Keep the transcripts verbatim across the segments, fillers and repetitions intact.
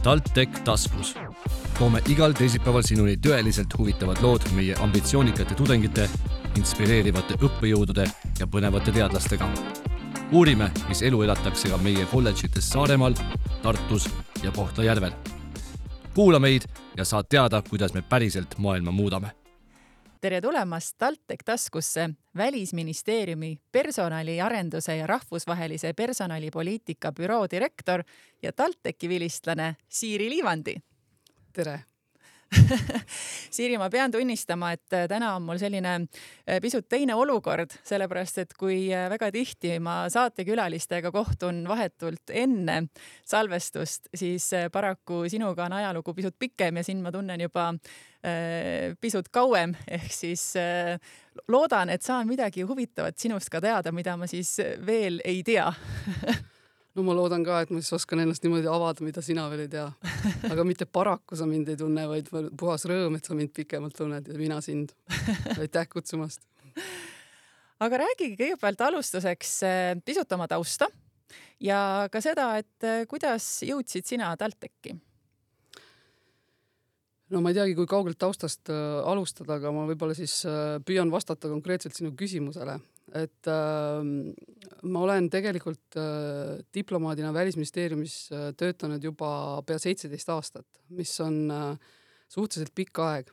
TalTech taskus. Toome igal teisipäeval sinuni tõeliselt huvitavad lood meie ambitsioonikate tudengite, inspireerivate õppejõudude ja põnevate teadlastega. Uurime, mis elu elatakse ka meie kolledžites Saaremaal, Tartus ja Kohtla-Järvel. Kuula meid ja saad teada, kuidas me päriselt maailma muudame. Tere tulemast TalTech taskusse, Välisministeeriumi personaliarenduse ja rahvusvahelise personalipoliitika büroo direktor ja TalTechi vilistlane Siiri Liivandi. Tere! Siiri, ma pean tunnistama, et täna on mul selline pisut teine olukord, sellepärast, et kui väga tihti ma saatekülalistega kohtun vahetult enne salvestust, siis paraku sinuga on ajalugu pisut pikem ja siin ma tunnen juba pisut kauem, ehk siis loodan, et saan midagi huvitavat sinust ka teada, mida ma siis veel ei tea. No ma loodan ka, et ma siis oskan ennast niimoodi avada, mida sina veel ei tea. Aga mitte paraku sa mind ei tunne, vaid puhas rõõm, et sa mind pikemalt tunned ja mina sind. Aitäh kutsumast. Aga räägigi kõigepealt alustuseks pisut oma tausta ja ka seda, et kuidas jõudsid sina TalTechi? No ma ei teagi, kui kaugelt taustast alustada, aga ma võib-olla siis püüan vastata konkreetselt sinu küsimusele. Et äh, ma olen tegelikult äh, diplomaadina Välisministeeriumis äh, töötanud juba pea seitseteist aastat, mis on äh, suhteliselt pikk aeg.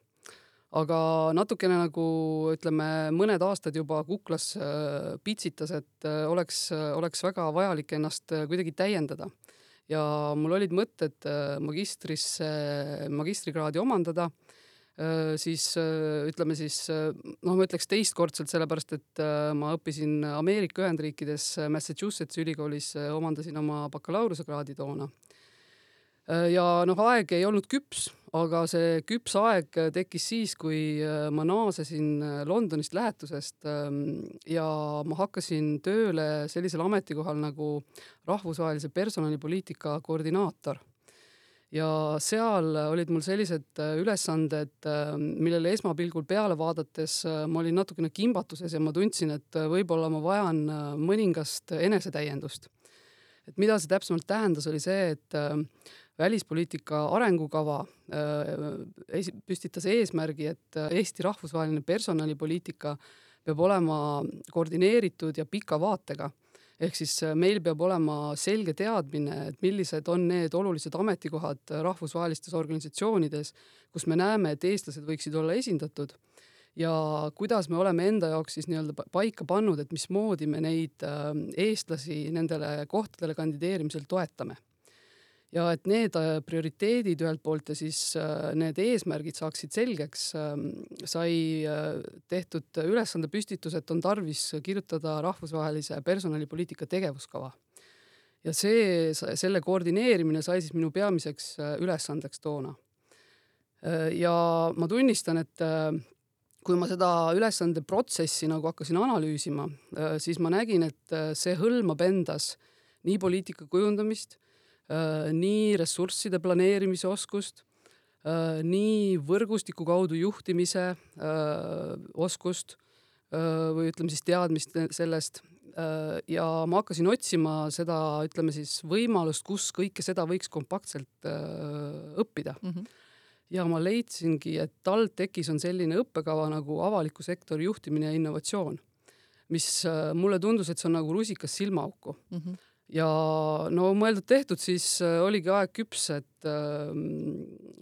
Aga natukene nagu, ütleme, mõned aastad juba kuklas äh, pitsitas, et äh, oleks, äh, oleks väga vajalik ennast äh, kuidagi täiendada. Ja mul olid mõtted äh, magistrisse, magistrikraadi omandada, siis ütleme siis, noh ma ütleks teistkordselt, sellepärast, et ma õppisin Ameerika Ühendriikides Massachusetts ülikoolis, omandasin oma bakalaureusekraadi toona. Ja noh, aeg ei olnud küps, aga see küps aeg tekkis siis, kui ma naasesin Londonist lähetusest ja ma hakkasin tööle sellisel ametikohal nagu rahvusvahelise personalipoliitika koordinaator. Ja seal olid mul sellised ülesanded, millele esmapilgul peale vaadates ma olin natukene kimbatuses ja ma tundsin, et võib-olla ma vajan mõningast enesetäiendust. Et mida see täpsemalt tähendas, oli see, et välispoliitika arengukava püstitas eesmärgi, et Eesti rahvusvaheline personalipoliitika peab olema koordineeritud ja pika vaatega. Ehk siis meil peab olema selge teadmine, et millised on need olulised ametikohad rahvusvahelistes organisatsioonides, kus me näeme, et eestlased võiksid olla esindatud ja kuidas me oleme enda jaoks siis nii-öelda paika pannud, et mismoodi me neid eestlasi nendele kohtadele kandideerimisel toetame. Ja et need prioriteedid ühelt poolt ja siis need eesmärgid saaksid selgeks, sai tehtud ülesande püstitus, et on tarvis kirjutada rahvusvahelise personalipoliitika tegevuskava. Ja see, selle koordineerimine sai siis minu peamiseks ülesandeks toona. Ja ma tunnistan, et kui ma seda ülesande protsessi nagu hakkasin analüüsima, siis ma nägin, et see hõlmab endas nii poliitika kujundamist, nii ressursside planeerimise oskust, nii võrgustiku kaudu juhtimise oskust või ütleme siis teadmist sellest. Ja ma hakkasin otsima seda, ütleme siis võimalust, kus kõike seda võiks kompaktselt õppida. Mm-hmm. Ja ma leidsingi, et TalTechis on selline õppekava nagu avaliku sektori juhtimine ja innovatsioon, mis mulle tundus, et see on nagu rusikas silmaauku. Mm-hmm. Ja no mõeldud tehtud, siis oligi aeg küps, et,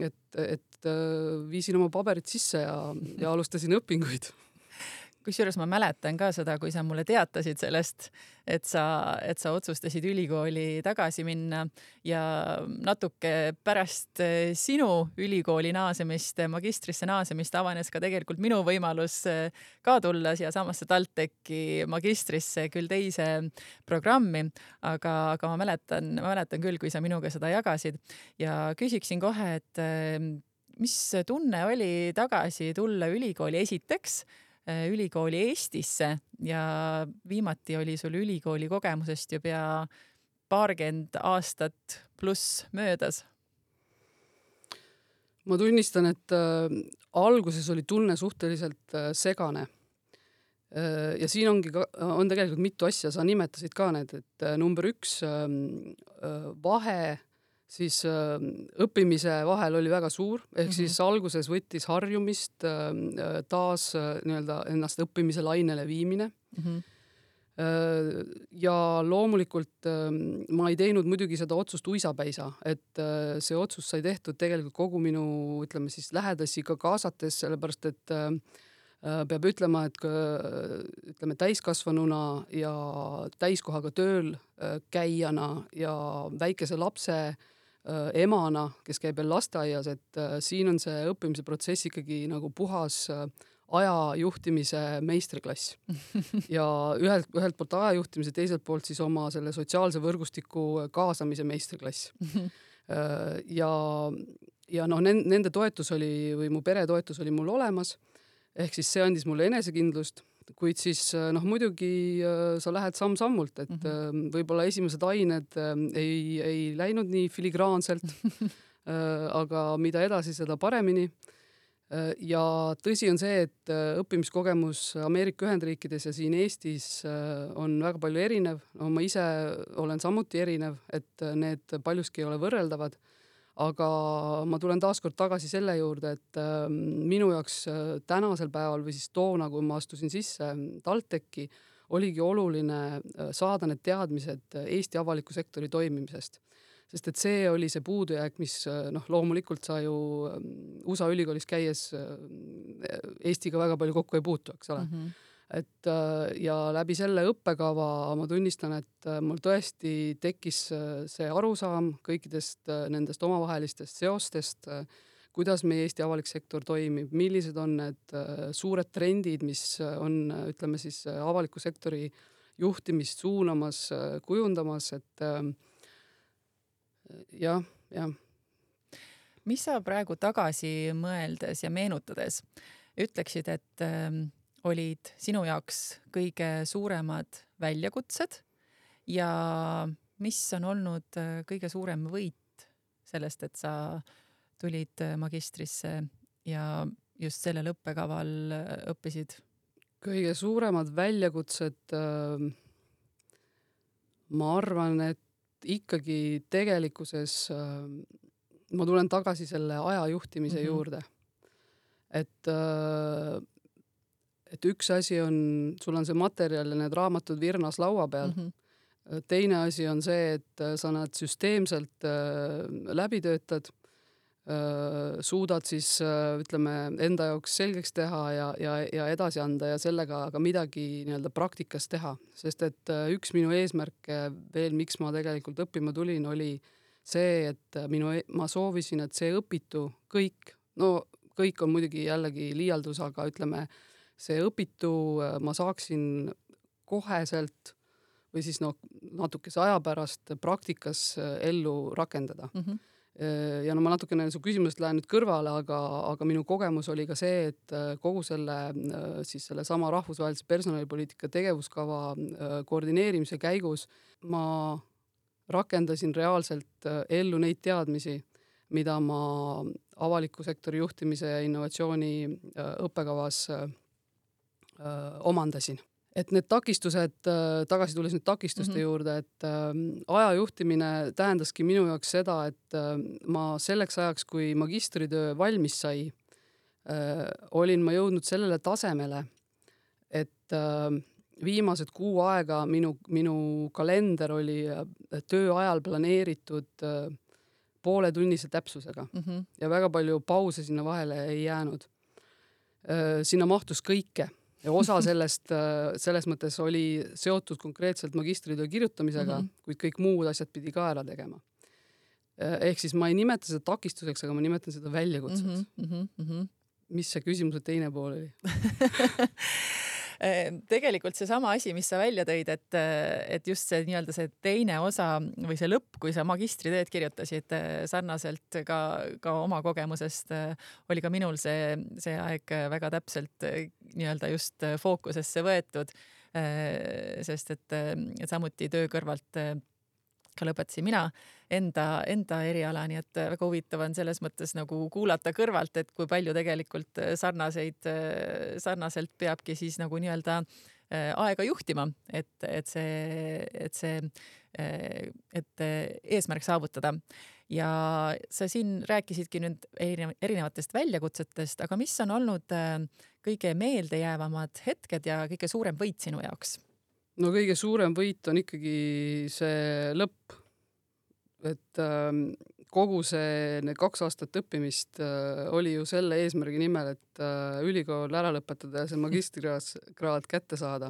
et, et viisin oma paberid sisse ja, ja alustasin õpinguid. Kusjuures ma mäletan ka seda, kui sa mulle teatasid sellest, et sa, et sa otsustasid ülikooli tagasi minna ja natuke pärast sinu ülikooli naasemist, magistrisse naasemist avanes ka tegelikult minu võimalus ka tulla siia samasse TalTechi magistrisse küll teise programmi, aga, aga ma mäletan, ma mäletan küll, kui sa minuga seda jagasid ja küsiksin kohe, et mis tunne oli tagasi tulla ülikooli esiteks, ülikooli Eestisse ja viimati oli sul ülikooli kogemusest ju pea paarkümmend aastat pluss möödas? Ma tunnistan, et äh, alguses oli tunne suhteliselt äh, segane. Äh, ja siin ongi ka, on tegelikult mitu asja, sa nimetasid ka need, et äh, number üks äh, vahe siis äh, õppimise vahel oli väga suur, ehk mm-hmm. siis alguses võttis harjumist äh, taas äh, nii-öelda ennast õppimise lainele viimine. Mm-hmm. Äh, ja loomulikult äh, ma ei teinud muidugi seda otsust uisapäisa, et äh, see otsus sai tehtud tegelikult kogu minu, ütleme siis lähedasi ka kaasates, sellepärast et äh, peab ütlema, et ütleme täiskasvanuna ja täiskohaga tööl käijana ja väikese lapse emana, kes käib veel lasteaias, et siin on see õppimise protsess ikkagi nagu puhas ajajuhtimise meistriklass. Ja ühelt, ühelt poolt ajajuhtimise, teiselt poolt siis oma selle sotsiaalse võrgustiku kaasamise meistriklass. Ja, ja noh, nende toetus oli, või mu pere toetus oli mul olemas, ehk siis see andis mulle enesekindlust, kuid siis noh, muidugi sa lähed samm-sammult, et mm-hmm. võib-olla esimesed ained ei, ei läinud nii filigraanselt, aga mida edasi, seda paremini. Ja tõsi on see, et õppimiskogemus Ameerika Ühendriikides ja siin Eestis on väga palju erinev. No, ma ise olen samuti erinev, et need paljuski ei ole võrreldavad. Aga ma tulen taaskord tagasi selle juurde, et äh, minu jaoks äh, tänasel päeval või siis toona, kui ma astusin sisse TalTechi, oligi oluline äh, saada need teadmised Eesti avaliku sektori toimimisest. Sest et see oli see puudujääk, mis äh, noh, loomulikult sa ju äh, U S A ülikoolis käies äh, Eestiga väga palju kokku ei puutu, eks ole. Mm-hmm. Et ja läbi selle õppekava ma tunnistan, et mul tõesti tekkis see arusaam kõikidest nendest omavahelistest seostest, kuidas meie Eesti avalik sektor toimib, millised on need suured trendid, mis on, ütleme siis, avaliku sektori juhtimist suunamas, kujundamas, et jah, jah. Mis sa praegu tagasi mõeldes ja meenutades ütleksid, et olid sinu jaoks kõige suuremad väljakutsed ja mis on olnud kõige suurem võit sellest, et sa tulid magistrisse ja just sellel õppekaval õppisid? Kõige suuremad väljakutsed, ma arvan, et ikkagi tegelikkuses ma tulen tagasi selle ajajuhtimise mm-hmm. juurde. Et et üks asi on, sul on see materjal ja need raamatud virnas laua peal. Mm-hmm. Teine asi on see, et sa nad süsteemselt äh, läbi töötad, äh, suudad siis, äh, ütleme, enda jaoks selgeks teha ja, ja, ja edasi anda ja sellega ka midagi nii-öelda praktikas teha. Sest et äh, üks minu eesmärke veel, miks ma tegelikult õppima tulin, oli see, et minu, ma soovisin, et see õpitu kõik, no kõik on muidugi jällegi liialdus, aga ütleme, see õpitu ma saaksin koheselt või siis no, natukese aja pärast praktikas ellu rakendada. Mm-hmm. Ja no ma natukene su küsimusest lähen nüüd kõrvale, aga, aga minu kogemus oli ka see, et kogu selle, siis selle sama rahvusvahelise personalipoliitika tegevuskava koordineerimise käigus ma rakendasin reaalselt ellu neid teadmisi, mida ma avaliku sektori juhtimise ja innovatsiooni õppekavas omandasin. Et need takistused, tagasi tulles nüüd takistuste mm-hmm. juurde, et äh, ajajuhtimine tähendaski minu jaoks seda, et äh, ma selleks ajaks, kui magistritöö valmis sai, äh, olin ma jõudnud sellele tasemele, et äh, viimased kuu aega minu, minu kalender oli töö ajal planeeritud äh, pooletunnise täpsusega mm-hmm. ja väga palju pause sinna vahele ei jäänud. Äh, sinna mahtus kõike. Ja osa sellest, selles mõttes oli seotud konkreetselt magistritöö kirjutamisega, mm-hmm. kuid kõik muud asjad pidi ka ära tegema. Ehk siis ma ei nimeta seda takistuseks, aga ma nimetan seda väljakutseks. Mm-hmm. Mm-hmm. Mis see küsimuse teine pool oli? Tegelikult see sama asi, mis sa välja tõid, et, et just see nii-öelda see teine osa või see lõpp, kui sa magistritööd kirjutasid sarnaselt ka, ka oma kogemusest, oli ka minul see, see aeg väga täpselt nii-öelda just fookusesse võetud, sest et, et samuti töö kõrvalt ka lõpetasin mina enda, enda eriala, nii et väga huvitav on selles mõttes nagu kuulata kõrvalt, et kui palju tegelikult sarnaseid, sarnaselt peabki siis nagu nii-öelda aega juhtima, et, et see, et see, et eesmärk saavutada. Ja sa siin rääkisidki nüüd erinevatest väljakutsetest, aga mis on olnud kõige meeldejäävamad hetked ja kõige suurem võit sinu jaoks? No kõige suurem võit on ikkagi see lõpp, et kogu see need kaks aastat õppimist oli ju selle eesmärgi nimel, et ülikool ära lõpetada ja see magistrikraad kätte saada.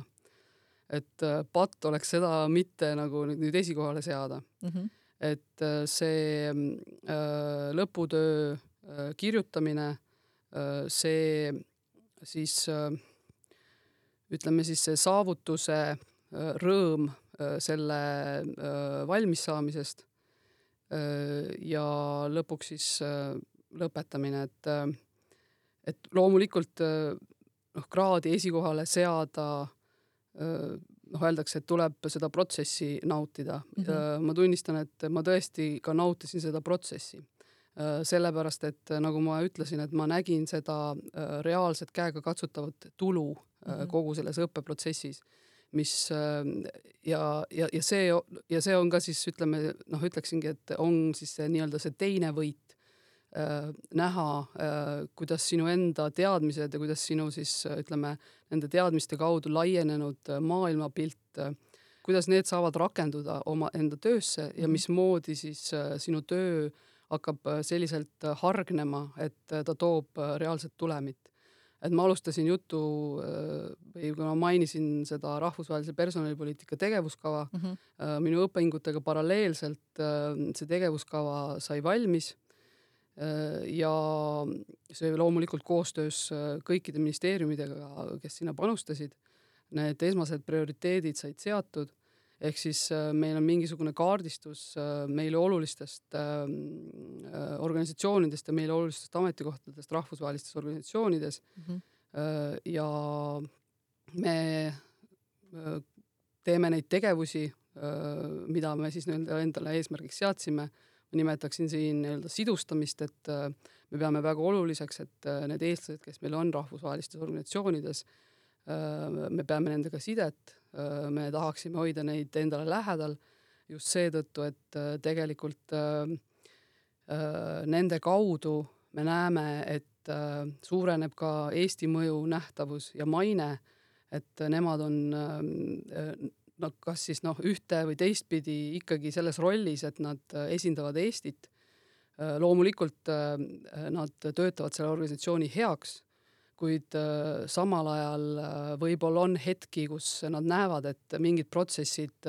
Et patt oleks seda mitte nagu nüüd esikohale seada. Mm-hmm. Et see lõputöö kirjutamine, see siis ütleme siis see saavutuse rõõm selle valmis saamisest ja lõpuks siis lõpetamine, et, et loomulikult noh, kraadi esikohale seada, noh, öeldakse, et tuleb seda protsessi nautida. Mm-hmm. Ma tunnistan, et ma tõesti ka nautisin seda protsessi. Sellepärast, et nagu ma ütlesin, et ma nägin seda reaalset käega katsutavat tulu mm-hmm. kogu selles õppeprotsessis, mis ja, ja, ja, see, ja see on ka siis, ütleme, noh, ütleksingi, et on siis see, nii-öelda see teine võit äh, näha, äh, kuidas sinu enda teadmised ja kuidas sinu siis, ütleme, nende teadmiste kaudu laienenud maailmapilt, äh, kuidas need saavad rakenduda oma enda töösse ja mismoodi siis äh, sinu töö hakkab selliselt hargnema, et ta toob reaalset tulemit. Et ma alustasin jutu või kui ma mainisin seda rahvusvahelise personalipoliitika tegevuskava, mm-hmm. minu õppingutega paralleelselt see tegevuskava sai valmis ja see loomulikult koostöös kõikide ministeeriumidega, kes sinna panustasid, need esmased prioriteedid said seatud, ehk siis meil on mingisugune kaardistus meile olulistest organisatsioonidest ja meile olulistest ametikohtadest rahvusvahelistes organisatsioonides mm-hmm. ja me teeme neid tegevusi, mida me siis endale eesmärgiks seadsime. Ma nimetaksin siin sidustamist, et me peame väga oluliseks, et need eestlased, kes meil on rahvusvahelistes organisatsioonides, me peame nendega sidet, me tahaksime hoida neid endale lähedal just seetõttu, et tegelikult nende kaudu me näeme, et suureneb ka Eesti mõju nähtavus ja maine, et nemad on no, kas siis noh, ühte või teistpidi ikkagi selles rollis, et nad esindavad Eestit. Loomulikult nad töötavad selle organisatsiooni heaks, kuid samal ajal võib-olla on hetki, kus nad näevad, et mingid protsessid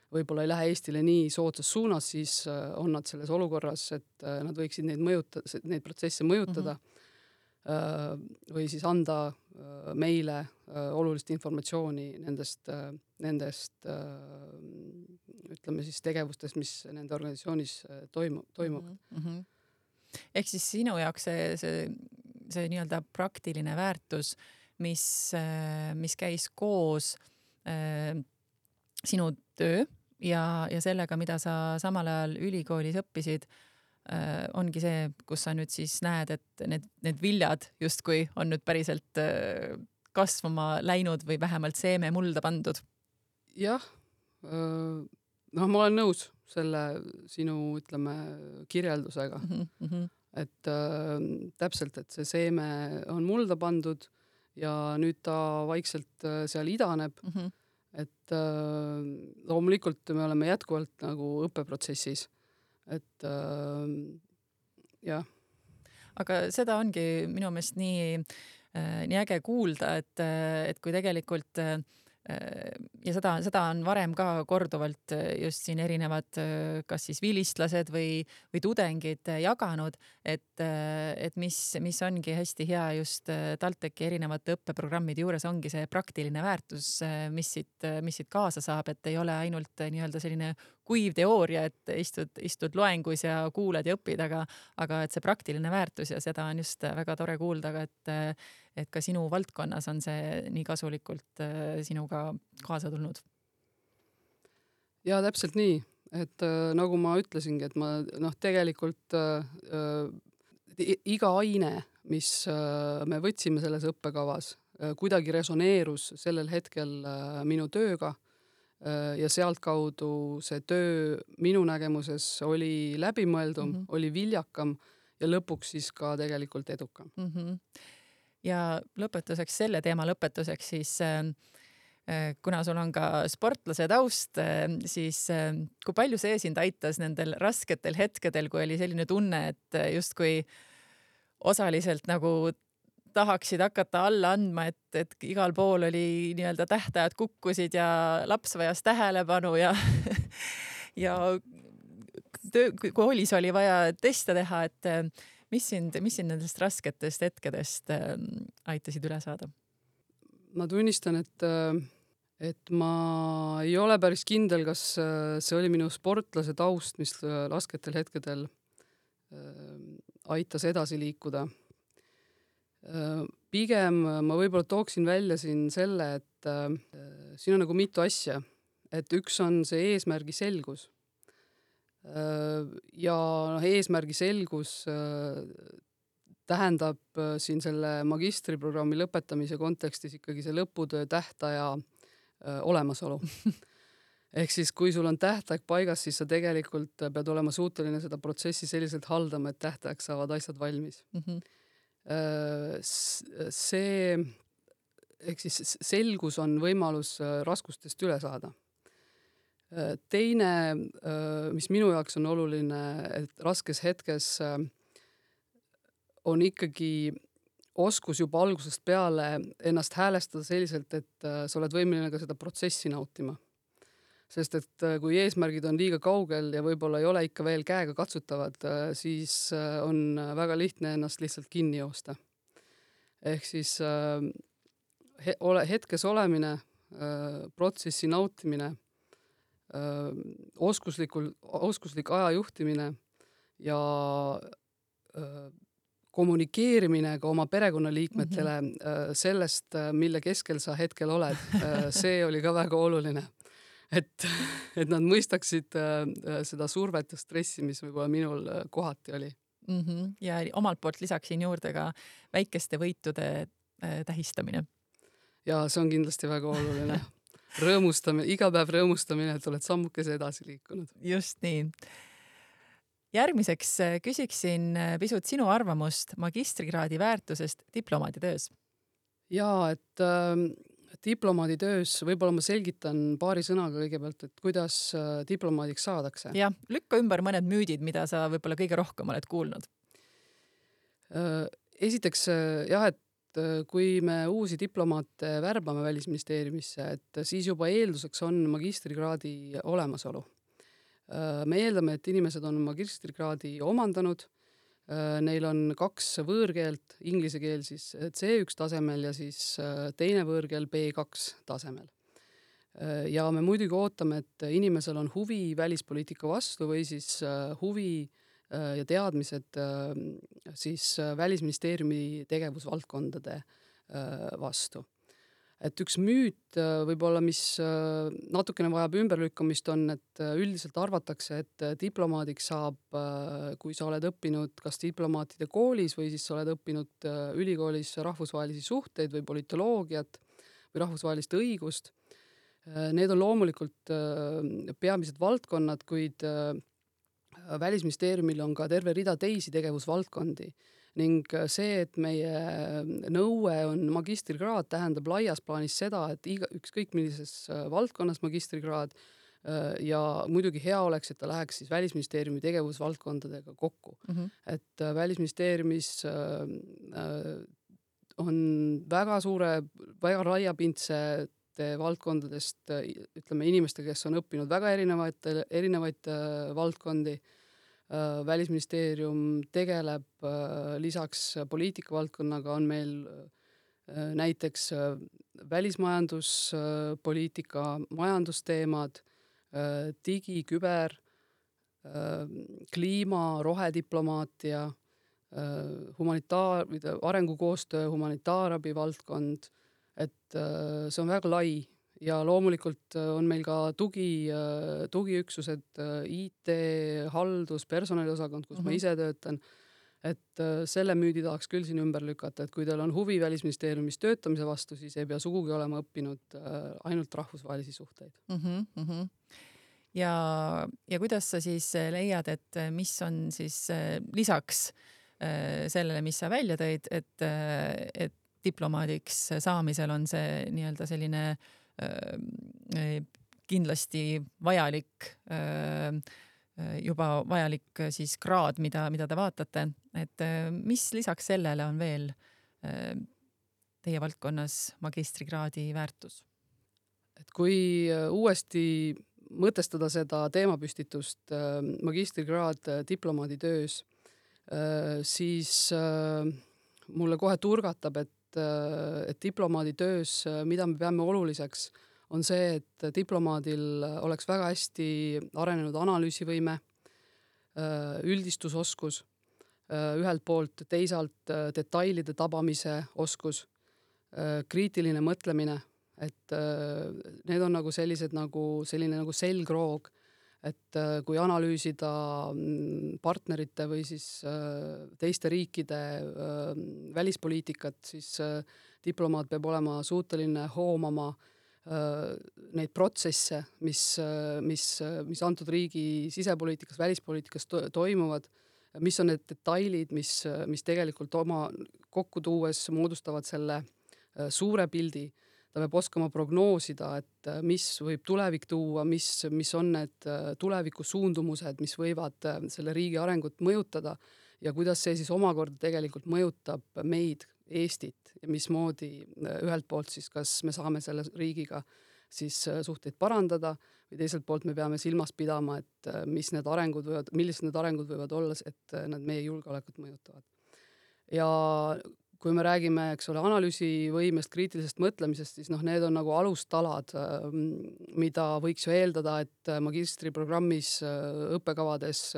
võib-olla ei lähe Eestile nii soodsas suunas, siis on nad selles olukorras, et nad võiksid neid, mõjuta, neid protsesse mõjutada mm-hmm. või siis anda meile olulist informatsiooni nendest, nendest ütleme siis tegevustest, mis nende organisatsioonis toimu, toimuvad. Mm-hmm. Ehk siis sinu jaoks see, see see nii-öelda praktiline väärtus, mis, mis käis koos äh, sinu töö ja, ja sellega, mida sa samal ajal ülikoolis õppisid, äh, ongi see, kus sa nüüd siis näed, et need, need viljad justkui on nüüd päriselt äh, kasvama läinud või vähemalt seeme mulda pandud. Jah, noh, ma olen nõus selle sinu, ütleme, kirjeldusega. Mm-hmm. Et äh, täpselt, et see seeme on mulda pandud ja nüüd ta vaikselt äh, seal idaneb, mm-hmm. et äh, loomulikult me oleme jätkuvalt nagu õppeprotsessis, et äh, jah. Aga seda ongi minu meelest nii, äh, nii äge kuulda, et, et kui tegelikult äh, ja seda, seda on varem ka korduvalt just siin erinevad kas siis vilistlased või, või tudengid jaganud, et, et mis, mis ongi hästi hea just TalTechi erinevate õppeprogrammide juures ongi see praktiline väärtus, mis siit, mis siit kaasa saab, et ei ole ainult nii-öelda selline kuiv teooria, et istud, istud loengus ja kuulad ja õpid, aga, aga et see praktiline väärtus ja seda on just väga tore kuulda, et, et ka sinu valdkonnas on see nii kasulikult sinuga kaasa tulnud. Ja täpselt nii, et äh, nagu ma ütlesingi, et ma noh, tegelikult äh, iga aine, mis äh, me võtsime selles õppekavas, kuidagi resoneerus sellel hetkel minu tööga ja sealtkaudu see töö minu nägemuses oli läbimõeldum, mm -hmm. oli viljakam ja lõpuks siis ka tegelikult edukam. Mm -hmm. Ja lõpetuseks, selle teema lõpetuseks siis äh, kuna sul on ka sportlase taust, siis kui palju see sind aitas nendel rasketel hetkedel, kui oli selline tunne, et justkui osaliselt nagu tahaksid hakata alla andma, et, et igal pool oli nii-öelda tähtajad kukkusid ja laps vajas tähelepanu ja, ja töö, koolis oli vaja teste teha, et mis sind, mis sind nendest rasketest hetkedest aitasid üle saada? Ma tunnistan, et et ma ei ole päris kindel, kas see oli minu sportlase taust, mis rasketel hetkedel aitas edasi liikuda. Pigem ma võib-olla tooksin välja siin selle, et siin on nagu mitu asja. Et üks on see eesmärgi selgus. Ja eesmärgi selgus tähendab siin selle magistriprogrammi lõpetamise kontekstis ikkagi see lõputöö tähtaja olemasolu. Ehk siis, kui sul on tähtaeg paigas, siis sa tegelikult pead olema suuteline seda protsessi selliselt haldama, et tähtaeg saavad asjad valmis. Mm -hmm. See, ehk siis selgus on võimalus raskustest üle saada. Teine, mis minu jaoks on oluline, et raskes hetkes on ikkagi oskus juba algusest peale ennast häälestada selliselt, et sa oled võimeline ka seda protsessi nautima. Sest et kui eesmärgid on liiga kaugel ja võib-olla ei ole ikka veel käega katsutavad, siis on väga lihtne ennast lihtsalt kinni joosta. Ehk siis hetkes olemine, protsessi nautimine, oskuslikul, oskuslik aja juhtimine ja kommunikeerimine ka oma perekonnaliikmetele mm -hmm. sellest, mille keskel sa hetkel oled. See oli ka väga oluline. Et, et nad mõistaksid seda survet ja stressi, mis võib-olla minul kohati oli. Mm -hmm. Ja omalt poolt lisaksin juurde ka väikeste võitude tähistamine. Ja see on kindlasti väga oluline. Rõõmustamine, iga päev rõõmustamine, et oled sammukese edasi liikunud. Just nii. Järgmiseks küsiksin pisut sinu arvamust magistrikraadi väärtusest diplomaaditöös. Jaa, et äh, diplomaaditöös võib-olla ma selgitan paari sõnaga kõigepealt, et kuidas äh, diplomaadiks saadakse. Jah, lükka ümber mõned müüdid, mida sa võib-olla kõige rohkem oled kuulnud. Äh, esiteks jah, et kui me uusi diplomaate värbame Välisministeeriumisse, et siis juba eelduseks on magistrikraadi olemasolu. Me eeldame, et inimesed on magistrikraadi omandanud, neil on kaks võõrkeelt, inglise keel siis C üks tasemel ja siis teine võõrkeel B kaks tasemel. Ja me muidugi ootame, et inimesel on huvi välispoliitika vastu või siis huvi ja teadmised siis Välisministeeriumi tegevusvaldkondade vastu. Et üks müüt võib-olla, mis natukene vajab ümberlükkamist on, et üldiselt arvatakse, et diplomaadiks saab, kui sa oled õppinud kas diplomaatide koolis või siis sa oled õppinud ülikoolis rahvusvahelisi suhteid või politoloogiat või rahvusvahelist õigust. Need on loomulikult peamised valdkonnad, kuid Välisministeeriumil on ka terve rida teisi tegevusvaldkondi ning see, et meie nõue on magistrikraad, tähendab laias plaanis seda, et iga, ükskõik millises valdkonnas magistrikraad ja muidugi hea oleks, et ta läheks siis Välisministeeriumi tegevusvaldkondadega kokku. Mm-hmm. Et Välisministeeriumis on väga suure, väga laiapindse valdkondadest, ütleme inimeste, kes on õppinud väga erinevaid, erinevaid valdkondi. Välisministeerium tegeleb lisaks poliitikavaldkonnaga on meil näiteks välismajanduspoliitika, majandusteemad, digi, küber, kliima, rohediplomaatia, humanitaar, arengukoostöö, humanitaarabi valdkond, et see on väga lai ja loomulikult on meil ka tugi, tugiüksused, I T, haldus, personaliosakond, kus mm-hmm. ma ise töötan. et selle müüdi tahaks küll siin ümber lükata, et kui teil on huvi Välisministeeriumis töötamise vastu, siis ei pea sugugi olema õppinud ainult rahvusvahelisi suhteid. Mm-hmm, mm-hmm. Ja, ja kuidas sa siis leiad, et mis on siis lisaks sellele, mis sa välja tõid, et, et diplomaadiks saamisel on see nii-öelda selline kindlasti vajalik juba vajalik siis kraad, mida, mida te vaatate, et mis lisaks sellele on veel teie valdkonnas magistrikraadi väärtus? Et kui uuesti mõtestada seda teemapüstitust magistrikraad diplomaadi töös, siis mulle kohe turgatab, et, et diplomaadi töös, mida me peame oluliseks, on see, et diplomaadil oleks väga hästi arenenud analüüsivõime, üldistusoskus, ühelt poolt teisalt detailide tabamise oskus, kriitiline mõtlemine, et need on nagu sellised nagu selline nagu selgroog, et kui analüüsida partnerite või siis teiste riikide välispoliitikat, siis diplomaat peab olema suuteline hoomama neid protsesse, mis, mis, mis antud riigi sisepoliitikas, välispoliitikas to- toimuvad, mis on need detailid, mis, mis tegelikult oma kokku tuues moodustavad selle suure pildi. Ta peab oskama prognoosida, et mis võib tulevik tuua, mis, mis on need tuleviku suundumused, mis võivad selle riigi arengut mõjutada ja kuidas see siis omakorda tegelikult mõjutab meid, Eestit ja mismoodi ühelt poolt siis, kas me saame selle riigiga siis suhteid parandada või teiselt poolt me peame silmas pidama, et mis need arengud võivad, millised need arengud võivad olla, et nad meie julgeolekut mõjutavad. Ja kui me räägime, eks ole, analüüsivõimest, kriitilisest mõtlemisest, siis noh, need on nagu alustalad, mida võiks ju eeldada, et magistriprogrammis õppekavades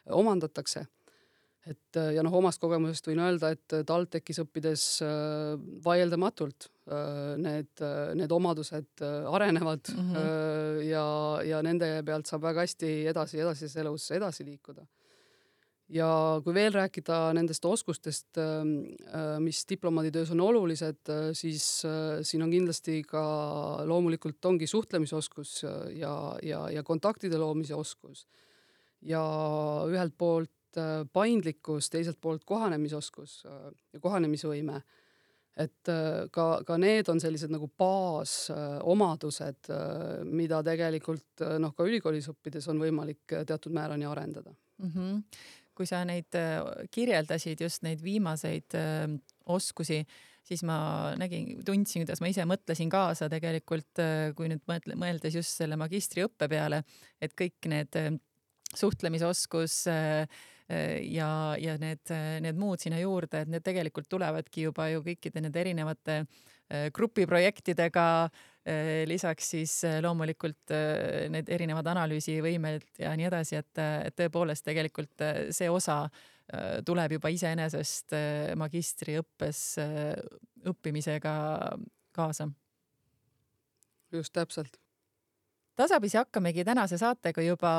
omandatakse. Et, ja noh, omast kogemusest võin öelda, et TalTechis õppides vaieldamatult need, need omadused arenevad mm-hmm. ja, ja nende pealt saab väga hästi edasi, edasises elus edasi liikuda. Ja kui veel rääkida nendest oskustest, mis diplomaaditöös on olulised, siis siin on kindlasti ka loomulikult ongi suhtlemisoskus ja, ja, ja kontaktide loomise oskus. Ja ühelt poolt paindlikkus, teiselt poolt kohanemisoskus ja kohanemisvõime. Et ka, ka need on sellised nagu baasomadused, mida tegelikult noh, ka ülikoolis õppides on võimalik teatud määrani arendada. Mm-hmm. Kui sa neid kirjeldasid, just neid viimaseid oskusi, siis ma nägin, tundsin, kuidas ma ise mõtlesin kaasa tegelikult, kui nüüd mõeldes just selle magistriõppe peale, et kõik need suhtlemisoskus ja, ja need, need muud sinna juurde, et need tegelikult tulevadki juba ju kõikide need erinevate grupiprojektidega, lisaks siis loomulikult need erinevad analüüsivõimed ja nii edasi, et, et tõepoolest tegelikult see osa tuleb juba iseenesest magistriõppes õppimisega kaasa. Just täpselt. Tasapisi hakkamegi tänase saatega juba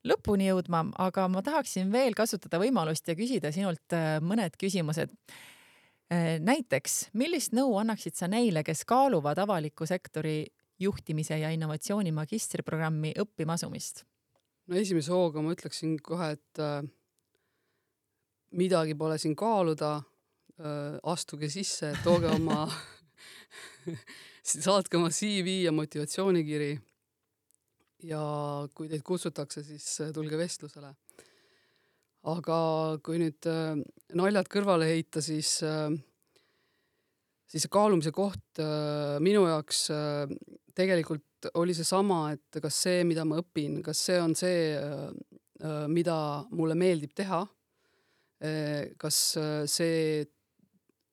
lõpuni jõudma, aga ma tahaksin veel kasutada võimalust ja küsida sinult mõned küsimused. Näiteks, millist nõu annaksid sa neile, kes kaaluvad avaliku sektori juhtimise ja innovatsiooni magistriprogrammi õppima asumist? No esimese hooga ma ütleksin kohe, et midagi pole siin kaaluda, astuge sisse, tooge oma, saatke oma C V ja motivatsioonikiri. Ja kui teid kutsutakse, siis tulge vestlusele. Aga kui nüüd naljad kõrvale heita, siis, siis kaalumise koht minu jaoks tegelikult oli see sama, et kas see, mida ma õpin, kas see on see, mida mulle meeldib teha, kas see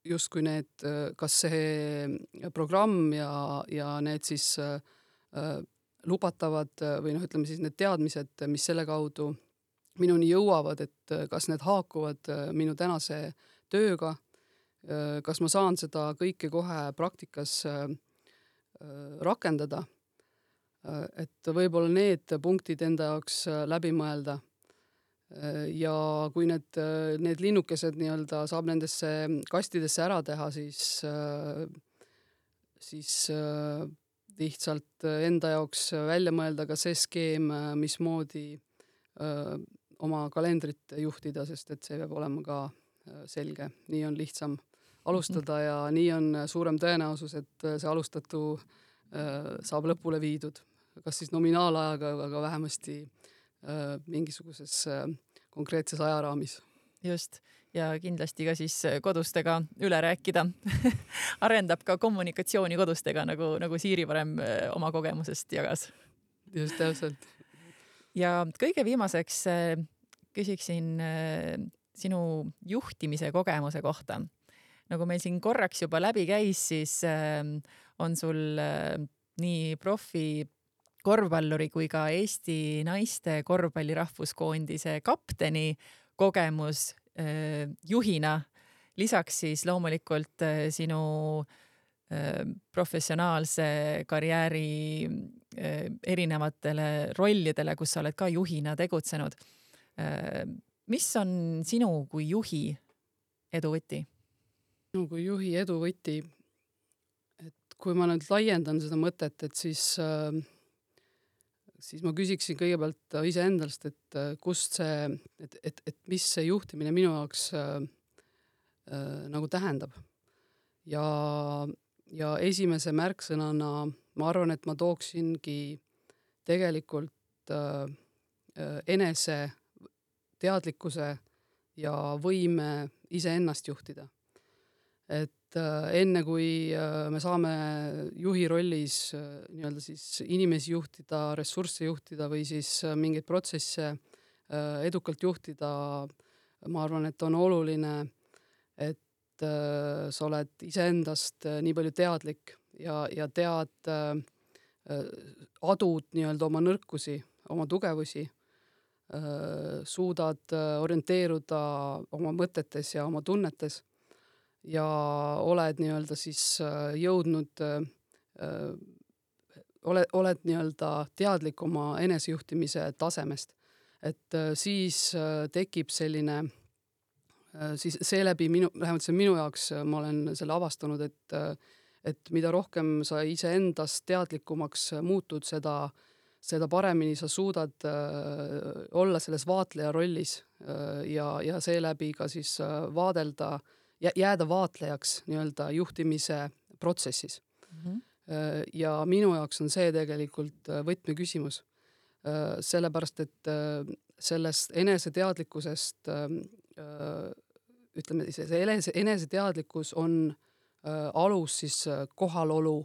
justkui need, kas see programm ja, ja need siis lubatavad või noh, ütleme siis need teadmised, mis selle kaudu minuni jõuavad, et kas need haakuvad minu tänase tööga, kas ma saan seda kõike kohe praktikas rakendada, et võib-olla need punktid enda jaoks läbi mõelda. ja kui need, need linnukesed nii-öelda saab nendesse kastidesse ära teha, siis, siis lihtsalt enda jaoks välja mõelda ka see skeem, mismoodi oma kalendrit juhtida, sest et see peab olema ka selge. Nii on lihtsam alustada ja nii on suurem tõenäosus, et see alustatu saab lõpule viidud. Kas siis nominaalajaga, aga vähemasti mingisuguses konkreetses ajaraamis. Just, ja kindlasti ka siis kodustega üle rääkida. Arendab ka kommunikatsiooni kodustega, nagu, nagu Siiri varem oma kogemusest jagas. Just täpselt. Ja kõige viimaseks küsiksin sinu juhtimise kogemuse kohta. Nagu meil siin korraks juba läbi käis, siis on sul nii profi korvpalluri kui ka Eesti naiste korvpalli rahvuskoondise kapteni kogemus äh, juhina. Lisaks siis loomulikult äh, sinu äh, professionaalse karjääri äh, erinevatele rollidele, kus sa oled ka juhina tegutsenud. Äh, mis on sinu kui juhi eduvõti? No kui juhi eduvõti, et kui ma nüüd laiendan seda mõtet, et siis äh, siis ma küsiksin kõigepealt iseendast, et kust see, et, et, et mis see juhtimine minu jaoks äh, äh, nagu tähendab. Ja, ja esimese märksõnana ma arvan, et ma tooksingi tegelikult äh, enese teadlikkuse ja võime iseennast juhtida. Et enne kui me saame juhi rollis nii-öelda siis inimesi juhtida, ressursse juhtida või siis mingeid protsesse edukalt juhtida, ma arvan, et on oluline, et sa oled iseendast nii palju teadlik ja, ja tead, adud nii-öelda oma nõrkusi, oma tugevusi, suudad orienteeruda oma mõtetes ja oma tunnetes ja oled nii-öelda siis jõudnud, oled, oled nii-öelda teadlik oma enesejuhtimise tasemest. Et siis tekib selline, siis seeläbi minu, vähemalt see minu jaoks, ma olen selle avastanud, et, et mida rohkem sa ise endast teadlikumaks muutud, seda, seda paremini sa suudad olla selles vaatleja rollis ja, ja seeläbi ka siis vaadelda jääda vaatlejaks nii-öelda juhtimise protsessis. Mm-hmm. Ja minu jaoks on see tegelikult võtmeküsimus. Sellepärast, et sellest eneseteadlikkusest, ütleme, see eneseteadlikkus on alus siis kohalolu,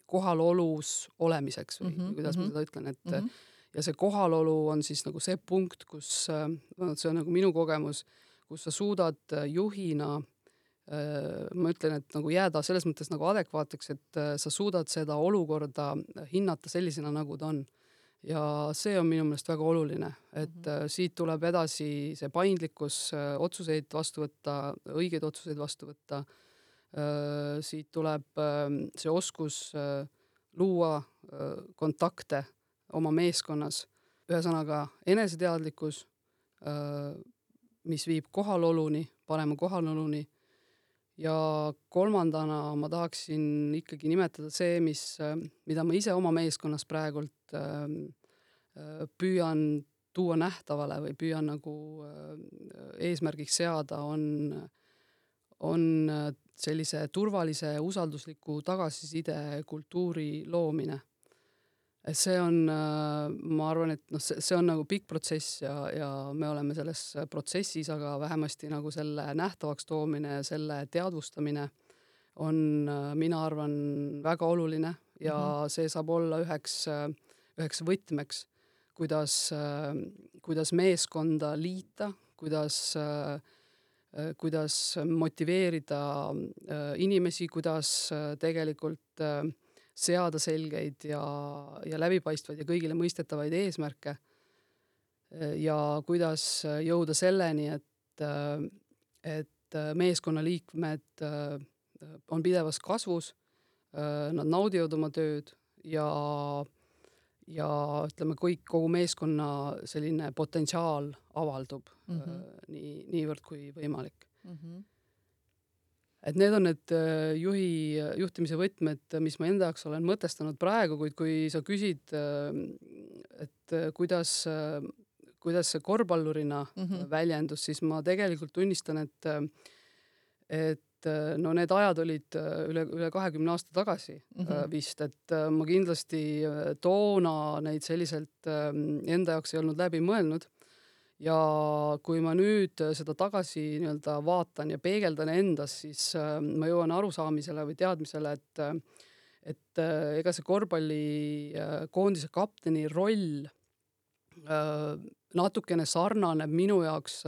kohalolus olemiseks või mm-hmm. kuidas ma seda ütlen, et mm-hmm. ja see kohalolu on siis nagu see punkt, kus see on nagu minu kogemus, kus sa suudad juhina, ma ütlen, et nagu jääda selles mõttes nagu adekvaateks, et sa suudad seda olukorda hinnata sellisena, nagu ta on. Ja see on minu meelest väga oluline, et mm-hmm. siit tuleb edasi see paindlikkus, otsuseid vastu võtta, õigeid otsuseid vastu võtta. Siit tuleb see oskus luua kontakte oma meeskonnas. Ühesõnaga eneseteadlikkus, mis viib kohaloluni, parema kohaloluni. Ja kolmandana ma tahaksin ikkagi nimetada see, mis, mida ma ise oma meeskonnas praegult püüan tuua nähtavale või püüan nagu eesmärgiks seada, on, on sellise turvalise, usaldusliku tagasiside kultuuri loomine. See on, ma arvan, et no, see, see on nagu pikk protsess ja, ja me oleme selles protsessis, aga vähemasti nagu selle nähtavaks toomine, selle teadvustamine on, mina arvan, väga oluline ja mm-hmm. see saab olla üheks, üheks võtmeks, kuidas, kuidas meeskonda liita, kuidas, kuidas motiveerida inimesi, kuidas tegelikult seada selgeid ja, ja läbipaistvaid ja kõigile mõistetavaid eesmärke ja kuidas jõuda selleni, et, et meeskonnaliikmed on pidevas kasvus, nad naudivad oma tööd ja, ja ütleme, kõik, kogu meeskonna selline potentsiaal avaldub mm -hmm. nii, niivõrd kui võimalik. Mm -hmm. Et need on need juhi, juhtimise võtmed, mis ma enda jaoks olen mõtestanud praegu, kuid kui sa küsid, et kuidas, kuidas see korvpallurina mm -hmm. väljendus, siis ma tegelikult tunnistan, et, et no need ajad olid üle, üle kahekümne aasta tagasi mm -hmm. vist, et ma kindlasti toona neid selliselt enda jaoks ei olnud läbi mõelnud. Ja kui ma nüüd seda tagasi nii-öelda vaatan ja peegeldan endas, siis ma jõuan arusaamisele või teadmisele, et, et ega see korvpalli koondise kapteni roll natukene sarnaneb minu jaoks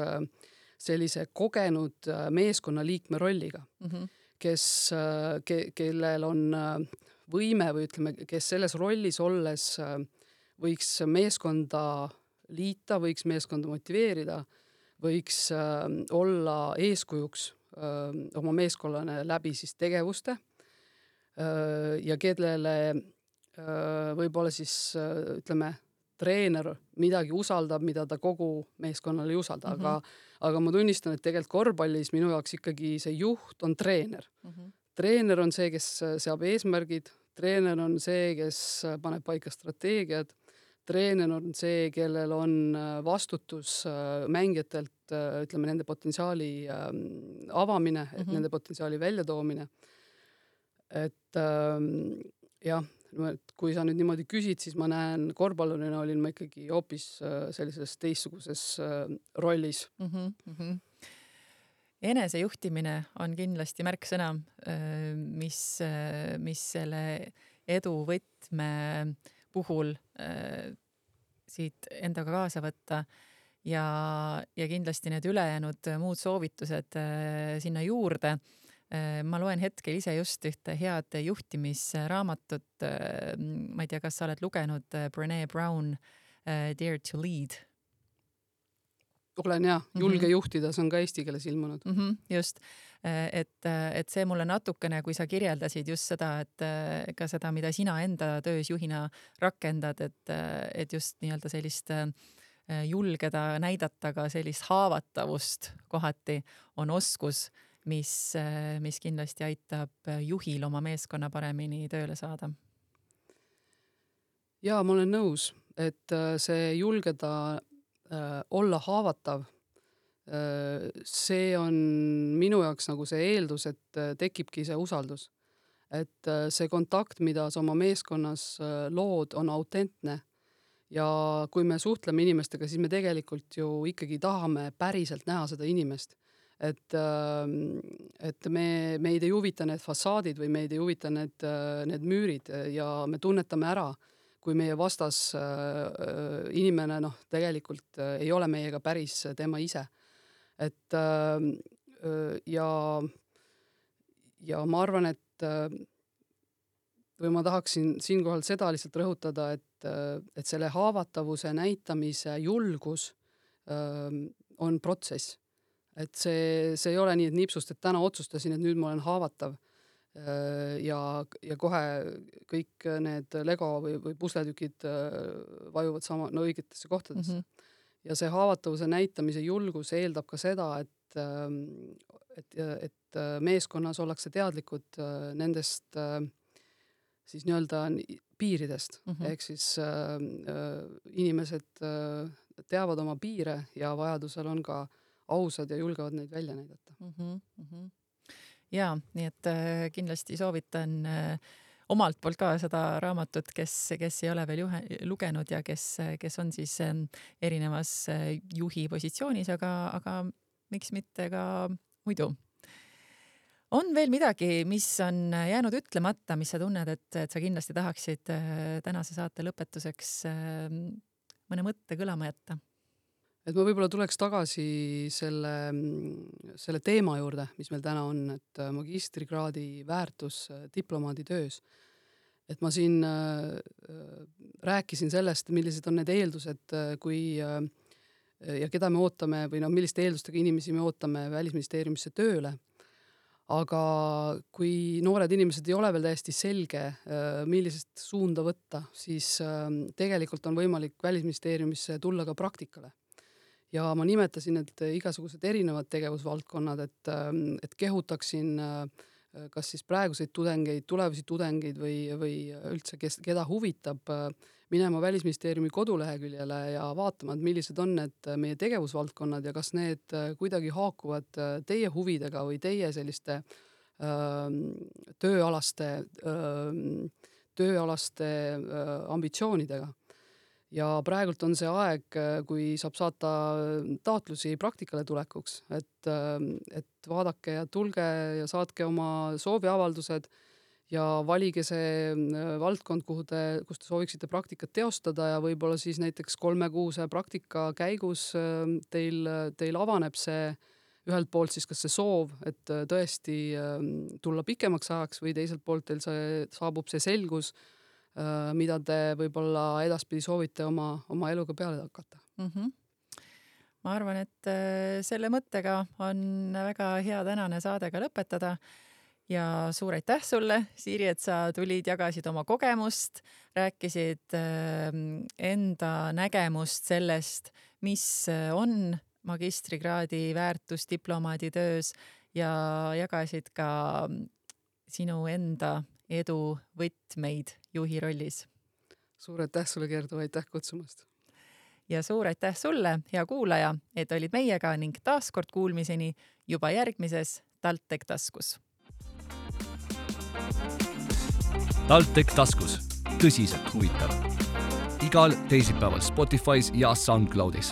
sellise kogenud meeskonnaliikme rolliga, mm -hmm. kes, ke, kellel on võime või ütleme, kes selles rollis olles võiks meeskonda liita, võiks meeskonda motiveerida, võiks äh, olla eeskujuks äh, oma meeskonnale läbi siis tegevuste äh, ja kellele äh, võib-olla siis äh, ütleme, treener midagi usaldab, mida ta kogu meeskonnale ei usalda, mm -hmm. aga, aga ma tunnistan, et tegelikult korvpallis minu jaoks ikkagi see juht on treener. Mm -hmm. Treener on see, kes seab eesmärgid, treener on see, kes paneb paika strateegiad, treener on see, kellel on vastutus mängijatelt, ütleme, nende potentsiaali avamine, et mm-hmm. nende potentsiaali väljatoomine. Et jah, et kui sa nüüd niimoodi küsid, siis ma näen, korvpallurina olin ma ikkagi hoopis sellises teistsuguses rollis. Mm-hmm. Mm-hmm. Enesejuhtimine on kindlasti märksõna, mis, mis selle edu võtme puhul äh, siit endaga kaasa võtta ja, ja kindlasti need ülejäänud muud soovitused äh, sinna juurde. Äh, ma loen hetkel ise just ühte head juhtimisraamatut. Äh, ma ei tea, kas sa oled lugenud äh, Brené Brown äh, Dare to Lead? Olen jah, julge mm-hmm. juhtida, see on ka eesti keeles ilmunud. Mm-hmm, just, et, et see mulle natukene, kui sa kirjeldasid just seda, et ka seda, mida sina enda töös juhina rakendad, et, et just nii-öelda sellist julgeda näidata ka sellist haavatavust kohati on oskus, mis, mis kindlasti aitab juhil oma meeskonna paremini tööle saada. Jaa, ma olen nõus, et see julgeda olla haavatav, see on minu jaoks nagu see eeldus, et tekibki see usaldus. Et see kontakt, mida sa oma meeskonnas lood, on autentne ja kui me suhtleme inimestega, siis me tegelikult ju ikkagi tahame päriselt näha seda inimest. Et, et me, meid ei huvita need fassaadid või meid ei huvita need, need müürid ja me tunnetame ära, kui meie vastas äh, inimene noh, tegelikult äh, ei ole meiega päris tema ise. Et äh, ja, ja ma arvan, et äh, või ma tahaksin siinkohal seda lihtsalt rõhutada, et, äh, et selle haavatavuse näitamise julgus äh, on protsess. Et see, see ei ole nii, et nipsust, et täna otsustasin, et nüüd ma olen haavatav. Ja, ja kohe kõik need Lego või, või pusletükid vajuvad sama, no õigetesse kohtadesse. Mm-hmm. Ja see haavatavuse näitamise julgus eeldab ka seda, et, et, et meeskonnas ollakse teadlikud nendest siis nii-öelda piiridest. Mm-hmm. Ehk siis äh, inimesed teavad oma piire ja vajadusel on ka ausad ja julgevad neid välja näidata. Mm-hmm. Mm-hmm. Jaa, nii et kindlasti soovitan omalt poolt ka seda raamatut, kes, kes ei ole veel juhe, lugenud ja kes, kes on siis erinevas juhi positsioonis, aga, aga miks mitte ka muidu. On veel midagi, mis on jäänud ütlemata, mis sa tunned, et, et sa kindlasti tahaksid tänase saate lõpetuseks mõne mõtte kõlama jätta? Et ma võib-olla tuleks tagasi selle, selle teema juurde, mis meil täna on, et magistrikraadi väärtus diplomaadi töös. Et ma siin äh, rääkisin sellest, millised on need eeldused, kui äh, ja keda me ootame või no, milliste eeldustega inimesi me ootame Välisministeeriumisse tööle. aga kui noored inimesed ei ole veel täiesti selge, millisest suunda võtta, siis tegelikult on võimalik Välisministeeriumisse tulla ka praktikale. Ja ma nimetasin, et igasugused erinevad tegevusvaldkonnad, et, et kehutaksin kas siis praeguseid tudengeid, tulevasi tudengeid või, või üldse, kes, keda huvitab minema Välisministeeriumi koduleheküljele ja vaatama, et millised on need meie tegevusvaldkonnad ja kas need kuidagi haakuvad teie huvidega või teie selliste öö, tööalaste, öö, tööalaste öö, ambitsioonidega. Ja praegult on see aeg, kui saab saata taotlusi praktikale tulekuks, et, et vaadake ja tulge ja saatke oma sooviavaldused ja valige see valdkond, kuhu te, kus te sooviksite praktikat teostada ja võib-olla siis näiteks kolmekuuse praktika käigus teil, teil avaneb see ühelt poolt siis kas see soov, et tõesti tulla pikemaks ajaks või teiselt poolt teil see, saabub see selgus, mida te võib-olla edaspidi soovite oma, oma eluga peale hakata. Mm-hmm. Ma arvan, et selle mõttega on väga hea tänane saade ka lõpetada ja suur aitäh sulle, Siiri, et sa tulid, jagasid oma kogemust, rääkisid enda nägemust sellest, mis on magistrikraadi väärtus diplomaadi töös ja jagasid ka sinu enda edu võtmeid juhi rollis. Suur aitäh sulle, Gerdu, aitäh kutsumast. Ja suur aitäh sulle, hea kuulaja, et olid meiega ning taaskord kuulmiseni juba järgmises TalTech taskus. TalTech taskus. Tõsiselt huvitav. Igal teisipäeval Spotify's ja SoundCloudis.